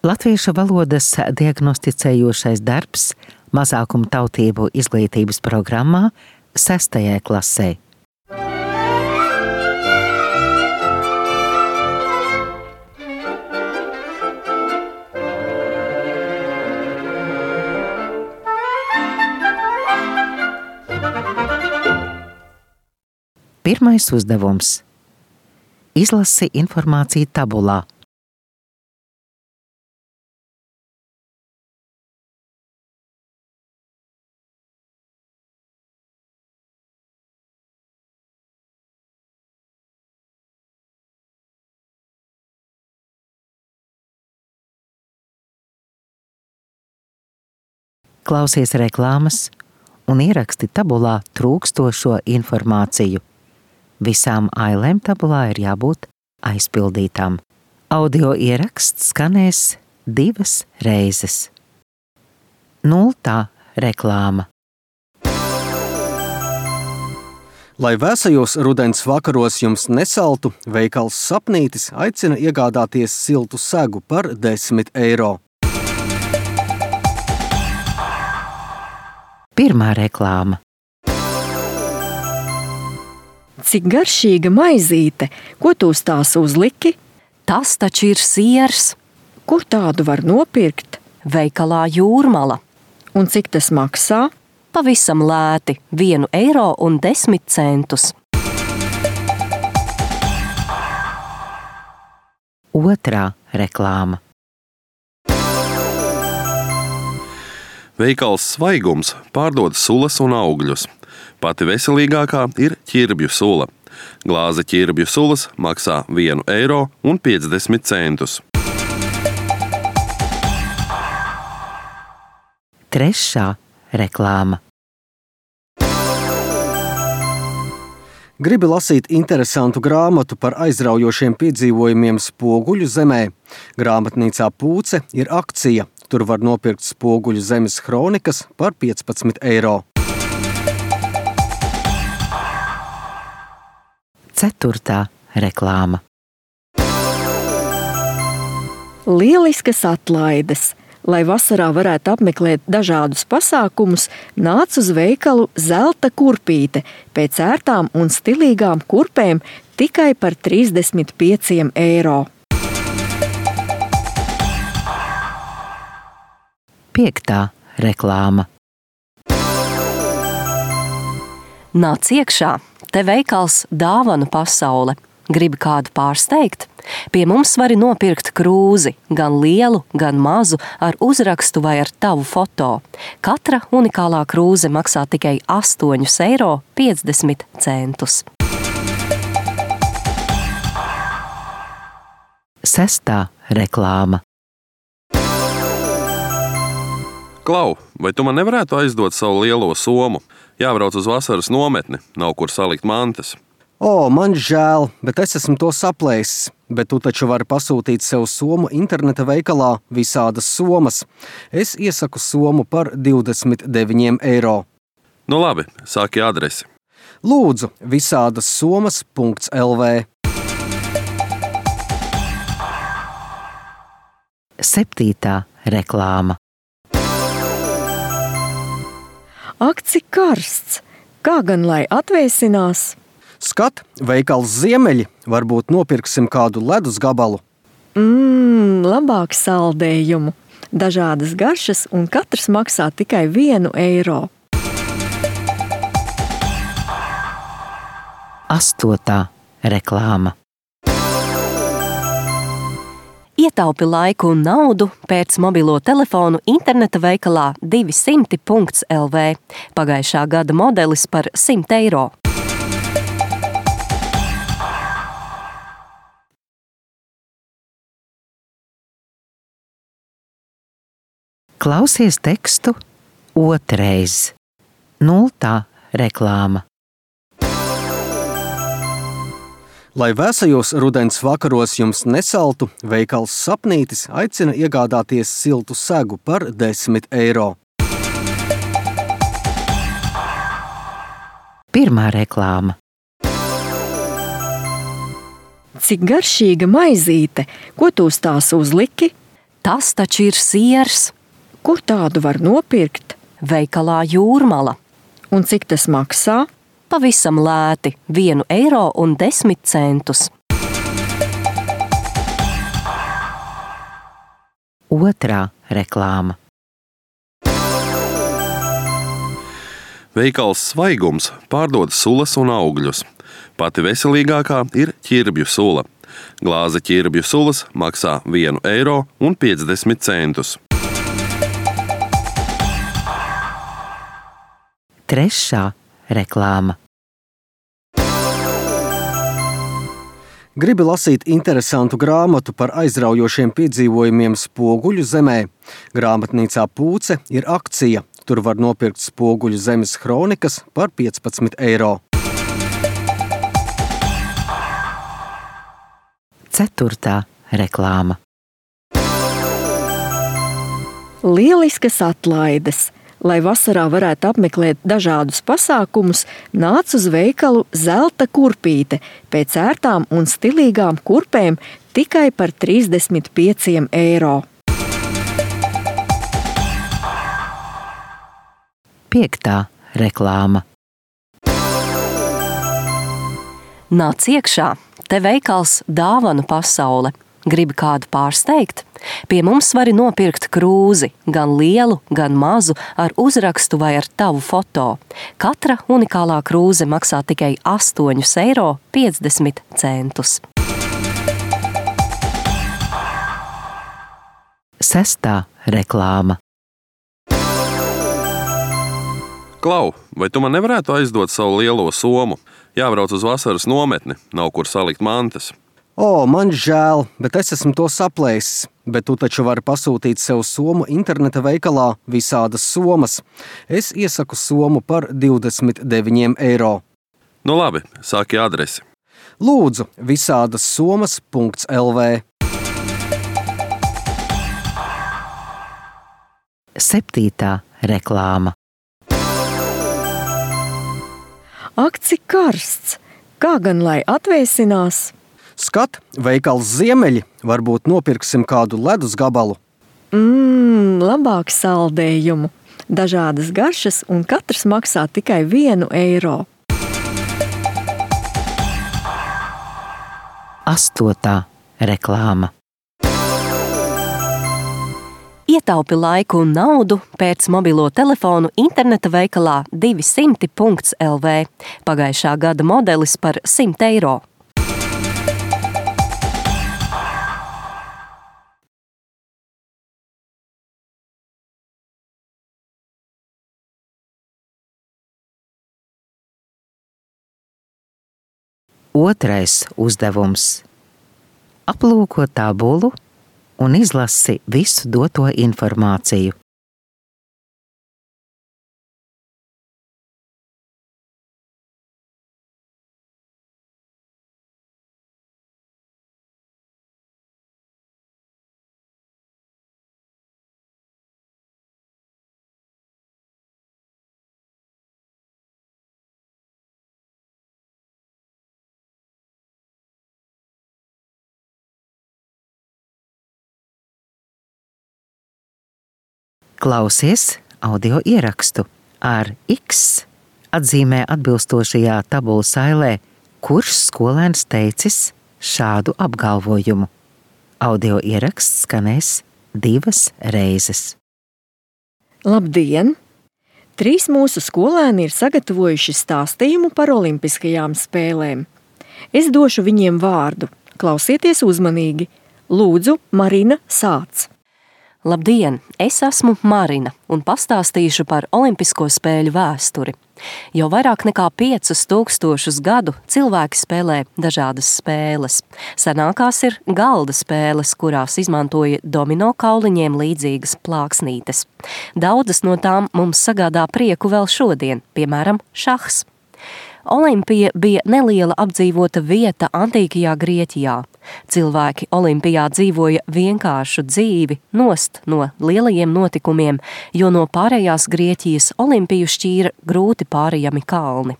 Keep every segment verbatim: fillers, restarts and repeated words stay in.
Latviešu valodas diagnosticējošais darbs mazākumu tautību izglītības programmā sestajai klasē. Pirmais uzdevums. Izlasi informāciju tabulā. Klausies reklāmas un ieraksti tabulā trūkstošo informāciju. Visām ailēm tabulā ir jābūt aizpildītām. Audio ieraksts skanēs divas reizes. Nultā reklāma. Lai vēsajos rudens vakaros jums nesaltu, veikals Sapnītis aicina iegādāties siltu segu par desmit eiro. Pirmā reklāma. Cik garšīga maizīte, ko tu uz tās uzliki? Tas taču ir siers. Kur tādu var nopirkt? Veikalā Jūrmala. Un cik tas maksā? Pavisam lēti, vienu eiro un desmit centus. Otrā reklāma. Veikals Svaigums pārdod sulas un augļus. Pati veselīgākā ir ķirbju sula. Glāze ķirbju sulas maksā vienu eiro un piecdesmit centus. Trešā reklāma. Gribi lasīt interesantu grāmatu par aizraujošiem piedzīvojumiem Spoguļu zemē. Grāmatnīcā Pūce ir akcija. Tur var nopirkt Spoguļu zemes kronikas par piecpadsmit eiro. Ceturtā reklāma. Lieliskas atlaides. Lai vasarā varētu apmeklēt dažādus pasākumus, nāc uz veikalu Zelta kurpīte pēc ērtām un stilīgām kurpēm tikai par trīsdesmit pieciem eiro. Piektā reklāma. Nāc iekšā, te veikals Dāvanu pasaule. Gribi kādu pārsteigt? Pie mums vari nopirkt krūzi, gan lielu, gan mazu, ar uzrakstu vai ar tavu foto. Katra unikālā krūze maksā tikai astoņus eiro piecdesmit centus. Sestā reklāma. Klau, vai tu man nevarētu aizdot savu lielo somu? Jābrauc uz vasaras nometni, nav kur salikt mantas. O, man žēl, bet es esmu to saplēsis. Bet tu taču vari pasūtīt sev somu interneta veikalā Visādas somas. Es iesaku somu par divdesmit deviņiem eiro. Nu labi, sāki adresi. Lūdzu, visādas somas punkts el vē. Septītā reklāma. Ak, cik karsts! Kā gan lai atvēsinās? Skat, veikals Ziemeļi, varbūt nopirksim kādu ledus gabalu. Mmm, labāk saldējumu. Dažādas garšas un katrs maksā tikai vienu eiro. Astotā reklāma. Ietaupi laiku un naudu pēc mobilo telefonu interneta veikalā divsimt punkts el vē. Pagājušā gada modelis par simt eiro. Klausies tekstu otrais. Nultā reklāma. Lai vēsajos rudens vakaros jums nesaltu, veikals Sapnītis aicina iegādāties siltu segu par desmit eiro. Pirmā reklāma. Cik garšīga maizīte, ko tu uz tās uzliki? Tas taču ir siers. Kur tādu var nopirkt? Veikalā Jūrmala. Un cik tas maksā? Pavisam lēti – vienu eiro un desmit centus. Otrā reklāma. Veikals Svaigums pārdod sulas un augļus. Pati veselīgākā ir ķirbju sula. Glāze ķirbju sulas maksā vienu eiro un piecdesmit centus. Trešā reklāma. Gribi lasīt interesantu grāmatu par aizraujošiem piedzīvojumiem Spoguļu zemē? Grāmatnīcā Pūce ir akcija. Tur var nopirkt Spoguļu zemes kronikas par piecpadsmit eiro. Ceturtā reklāma. Lieliskas atlaides! Lai vasarā varētu apmeklēt dažādus pasākumus, nāc uz veikalu Zelta kurpīte pēc ērtām un stilīgām kurpēm tikai par trīsdesmit pieciem eiro. Piektā reklāma. Nāc iekšā, te veikals Dāvanu pasaule. Gribi kādu pārsteigt? Pie mums vari nopirkt krūzi, gan lielu, gan mazu, ar uzrakstu vai ar tavu foto. Katra unikālā krūze maksā tikai astoņus eiro piecdesmit centus. Sestā reklāma. Klau, vai tu man nevarētu aizdot savu lielo somu? Jābrauc uz vasaras nometni, nav kur salikt mantas. O, man žēl, bet es esmu to saplēsis. Bet tu taču vari pasūtīt sev somu interneta veikalā Visādas somas. Es iesaku somu par divdesmit deviņiem eiro. Nu labi, sāki adresi. Lūdzu, visādas somas punkts el vē. Septītā reklāma. Ak, cik karsts! Kā gan lai atvēsinās? Skat, veikals Ziemeļi, varbūt nopirksim kādu ledus gabalu. Mmm, labāk saldējumu. Dažādas garšas un katrs maksā tikai vienu eiro. Astotā reklāma. Ietaupi laiku un naudu, pēc mobilo telefonu interneta veikalā divsimt punkts el vē. Pagājušā gada modelis par simt eiro. Otrais uzdevums. Aplūko tabulu un izlasi visu doto informāciju. Klausies audio ierakstu ar X atzīmē atbilstošajā tabulas ailē, kurš skolēns teicis šādu apgalvojumu. Audio ieraksts skanēs divas reizes. Labdien! Trīs mūsu skolēni ir sagatavojuši stāstījumu par olimpiskajām spēlēm. Es došu viņiem vārdu. Klausieties uzmanīgi. Lūdzu, Marina, sāc! Labdien! Es esmu Marina un pastāstīšu par olimpisko spēļu vēsturi. Jau vairāk nekā piecus tūkstošus gadu cilvēki spēlē dažādas spēles. Senākās ir galda spēles, kurās izmantoja domino kauliņiem līdzīgas plāksnītes. Daudzas no tām mums sagādā prieku vēl šodien, piemēram, šahs. Olimpija bija neliela apdzīvota vieta antīkajā Grieķijā. Cilvēki Olimpijā dzīvoja vienkāršu dzīvi, nost no lielajiem notikumiem, jo no pārējās Grieķijas Olimpiju šķīra grūti pārējami kalni.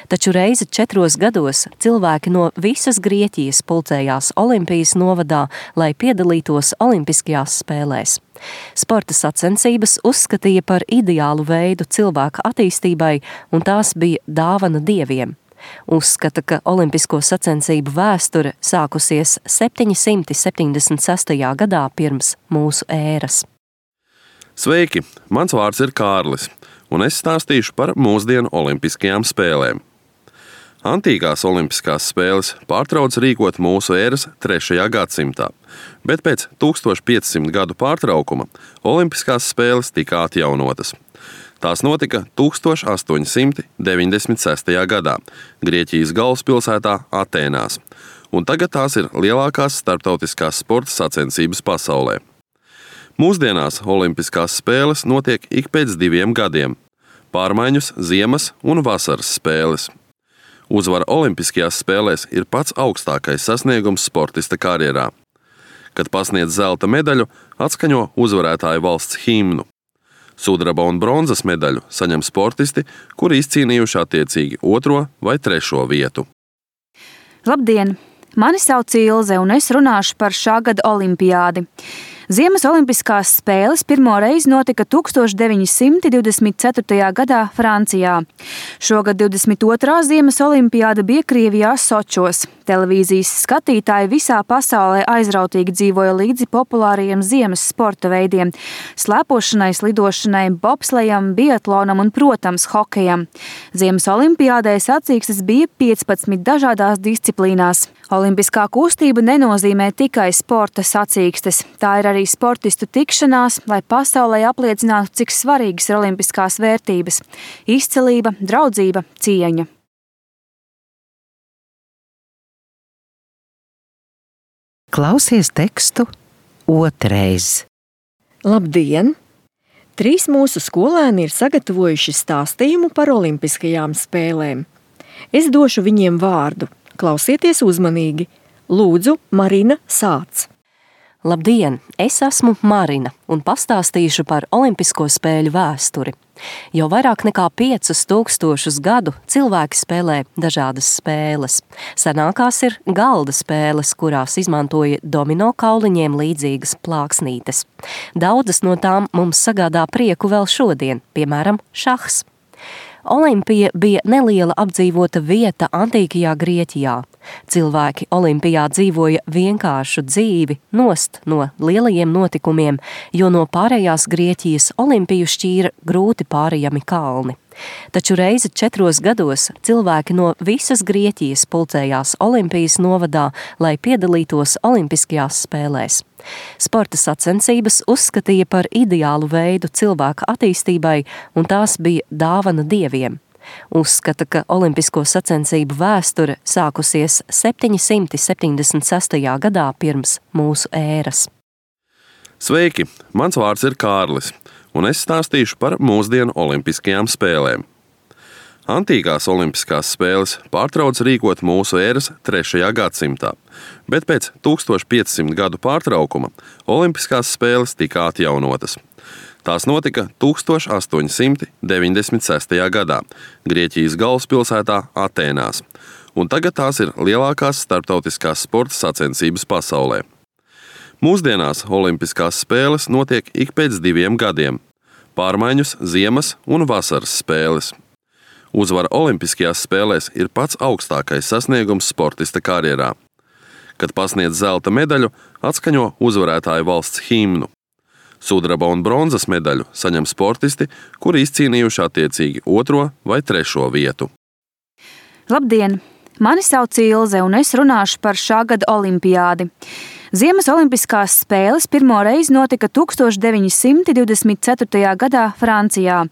Taču reizi četros gados cilvēki no visas Grieķijas pulcējās Olimpijas novadā, lai piedalītos Olimpiskajās spēlēs. Sporta sacensības uzskatīja par ideālu veidu cilvēka attīstībai, un tās bija dāvana dieviem. Uzskata, ka olimpisko sacensību vēsture sākusies septiņsimt septiņdesmit sestajā gadā pirms mūsu ēras. Sveiki! Mans vārds ir Kārlis, un es stāstīšu par mūsdienu olimpiskajām spēlēm. Antīkās olimpiskās spēles pārtrauca rīkot mūsu ēras trešajā gadsimtā, bet pēc tūkstoš piecsimt gadu pārtraukuma olimpiskās spēles tika atjaunotas. Tās notika tūkstoš astoņsimt deviņdesmit sestajā gadā Grieķijas galvaspilsētā Atēnās, un tagad tās ir lielākās starptautiskās sporta sacensības pasaulē. Mūsdienās olimpiskās spēles notiek ik pēc diviem gadiem – pārmaiņas ziemas un vasaras spēles. Uzvara olimpiskajās spēlēs ir pats augstākais sasniegums sportista karjerā. Kad pasniedz zelta medaļu, atskaņo uzvarētāju valsts himnu. Sudraba un bronzas medaļu saņem sportisti, kuri izcīnījuši attiecīgi otro vai trešo vietu. Labdien! Mani sauc Ilze, un es runāšu par šā gada olimpiādi. Ziemas olimpiskās spēles pirmo reizi notika tūkstoš deviņsimt divdesmit ceturtajā gadā Francijā. Šogad divdesmit otrā Ziemas olimpiāda bija Krievijā Sočos. Televīzijas skatītāji visā pasaulē aizrautīgi dzīvoja līdzi populārajiem ziemas sporta veidiem – slēpošanai, slidošanai, bobslejam, biatlonam un, protams, hokejam. Ziemas olimpiādē sacīkstes bija piecpadsmit dažādās disciplīnās. Olimpiskā kustība nenozīmē tikai sporta sacīkstes. Tā ir arī sportistu tikšanās, lai pasaulē apliecinātu, cik svarīgas ir olimpiskās vērtības – izcilība, draudzība, cieņa. Klausies tekstu otrais. Labdien! Trīs mūsu skolēni ir sagatavojuši stāstījumu par olimpiskajām spēlēm. Es došu viņiem vārdu. Klausieties uzmanīgi. Lūdzu, Marina, sāc! Labdien! Es esmu Marina un pastāstīšu par olimpisko spēļu vēsturi. Jau vairāk nekā piecus tūkstošus gadu cilvēki spēlē dažādas spēles. Senākās ir galda spēles, kurās izmantoja domino kauliņiem līdzīgas plāksnītes. Daudzas no tām mums sagādā prieku vēl šodien, piemēram, šahs. Olimpija bija neliela apdzīvota vieta antīkajā Grieķijā. Cilvēki Olimpijā dzīvoja vienkāršu dzīvi, nost no lielajiem notikumiem, jo no pārējās Grieķijas Olimpiju šķīra grūti pārējami kalni. Taču reizi četros gados cilvēki no visas Grieķijas pulcējās Olimpijas novadā, lai piedalītos Olimpiskajās spēlēs. Sporta sacensības uzskatīja par ideālu veidu cilvēka attīstībai, un tās bija dāvana dieviem. Uzskata, ka olimpisko sacensību vēsture sākusies septiņsimt septiņdesmit sestajā gadā pirms mūsu ēras. Sveiki! Mans vārds ir Kārlis, un es stāstīšu par mūsdienu olimpiskajām spēlēm. Antīkās olimpiskās spēles pārtrauca rīkot mūsu ēras trešajā gadsimtā, bet pēc tūkstoš piecsimt gadu pārtraukuma olimpiskās spēles tika atjaunotas. Tās notika tūkstoš astoņsimt deviņdesmit sestajā gadā Grieķijas galvaspilsētā Atēnās, un tagad tās ir lielākās starptautiskās sporta sacensības pasaulē. Mūsdienās olimpiskās spēles notiek ik pēc diviem gadiem – pārmaiņas ziemas un vasaras spēles. Uzvara olimpiskajās spēlēs ir pats augstākais sasniegums sportista karjerā. Kad pasniedz zelta medaļu, atskaņo uzvarētāju valsts himnu. Sudraba un bronzas medaļu saņem sportisti, kuri izcīnījuši attiecīgi otro vai trešo vietu. Labdien! Mani sauc Ilze, un es runāšu par šā gada olimpiādi. Ziemas olimpiskās spēles pirmo reizi notika tūkstoš deviņsimt divdesmit ceturtajā gadā Francijā.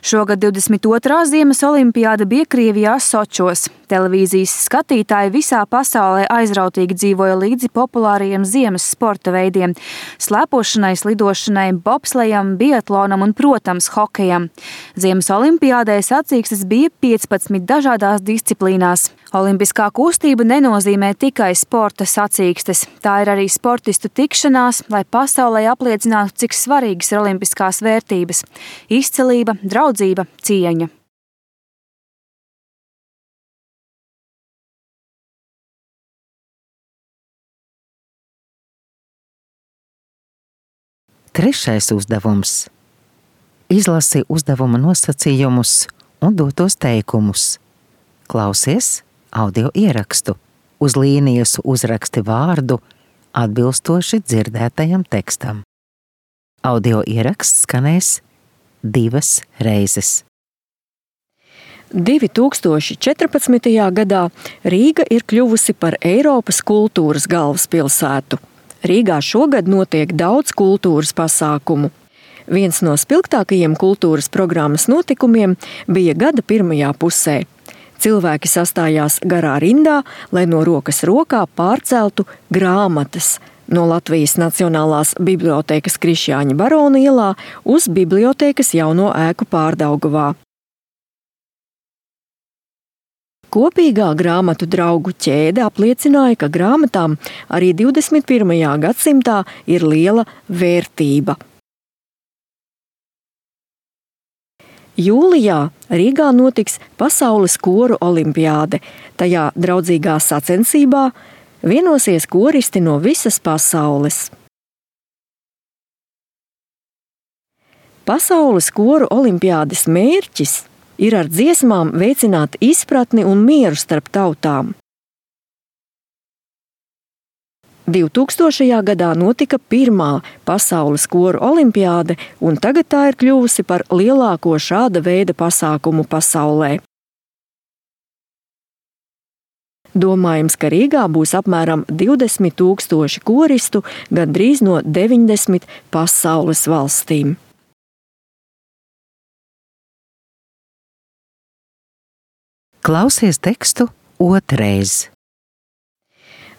Šogad divdesmit otrā Ziemas olimpiāda bija Krievijā Sočos. Televīzijas skatītāji visā pasaulē aizrautīgi dzīvoja līdzi populārajiem ziemas sporta veidiem – slēpošanai, slidošanai, bobslejam, biatlonam un, protams, hokejam. Ziemas olimpiādē sacīkstes bija piecpadsmit dažādās disciplīnās. Olimpiskā kustība nenozīmē tikai sporta sacīkstes. Tā ir arī sportistu tikšanās, lai pasaulē apliecinātu, cik svarīgas ir olimpiskās vērtības – izcilība, draudzība, cieņa. Trešais uzdevums. Izlasi uzdevuma nosacījumus un dotos teikumus. Klausies audio ierakstu. Uz līnijas uzraksti vārdu atbilstoši dzirdētajam tekstam. Audio ieraksts skanēs divas reizes. divi tūkstoši četrpadsmitajā gadā Rīga ir kļuvusi par Eiropas kultūras galvaspilsētu. Rīgā šogad notiek daudz kultūras pasākumu. Viens no spilgtākajiem kultūras programmas notikumiem bija gada pirmajā pusē. Cilvēki sastājās garā rindā, lai no rokas rokā pārceltu grāmatas no Latvijas Nacionālās bibliotēkas Krišjāņa Barona ielā uz bibliotēkas jauno ēku Pārdaugavā. Kopīgā grāmatu draugu ķēde apliecināja, ka grāmatām arī divdesmit pirmajā gadsimtā ir liela vērtība. Jūlijā Rīgā notiks Pasaules koru olimpiāde. Tajā draudzīgā sacensībā vienosies koristi no visas pasaules. Pasaules koru olimpiādes mērķis ir ar dziesmām veicināt izpratni un mieru starp tautām. divtūkstošajā gadā notika pirmā Pasaules koru olimpiāde, un tagad tā ir kļuvusi par lielāko šāda veida pasākumu pasaulē. Domājams, ka Rīgā būs apmēram divdesmit tūkstoši koristu, gandrīz no deviņdesmit pasaules valstīm. Klausies tekstu otrais.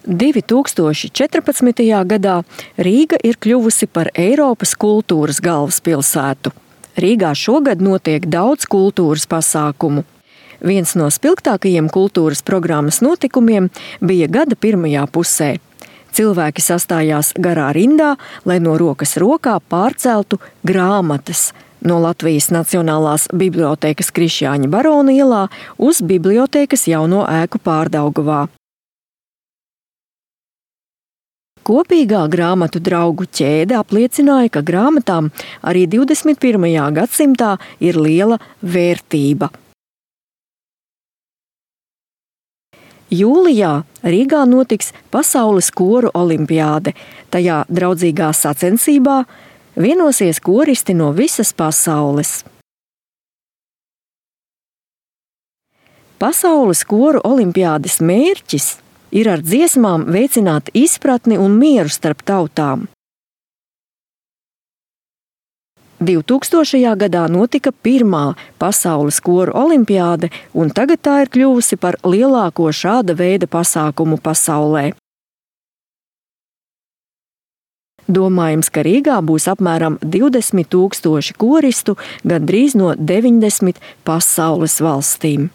divi tūkstoši četrpadsmitajā gadā Rīga ir kļuvusi par Eiropas kultūras galvaspilsētu. Rīgā šogad notiek daudz kultūras pasākumu. Viens no spilgtākajiem kultūras programmas notikumiem bija gada pirmajā pusē. Cilvēki sastājās garā rindā, lai no rokas rokā pārceltu grāmatas no Latvijas Nacionālās bibliotēkas Krišjāņa Barona ielā uz bibliotēkas jauno ēku Pārdaugavā. Kopīgā grāmatu draugu ķēde apliecināja, ka grāmatām arī divdesmit pirmajā gadsimtā ir liela vērtība. Jūlijā Rīgā notiks Pasaules koru olimpiāde. Tajā draudzīgā sacensībā vienosies koristi no visas pasaules. Pasaules koru olimpiādes mērķis ir ar dziesmām veicināt izpratni un mieru starp tautām. divtūkstošajā gadā notika pirmā Pasaules koru olimpiāde, un tagad tā ir kļuvusi par lielāko šāda veida pasākumu pasaulē. Domājams, ka Rīgā būs apmēram divdesmit tūkstoši koristu, gandrīz no deviņdesmit pasaules valstīm.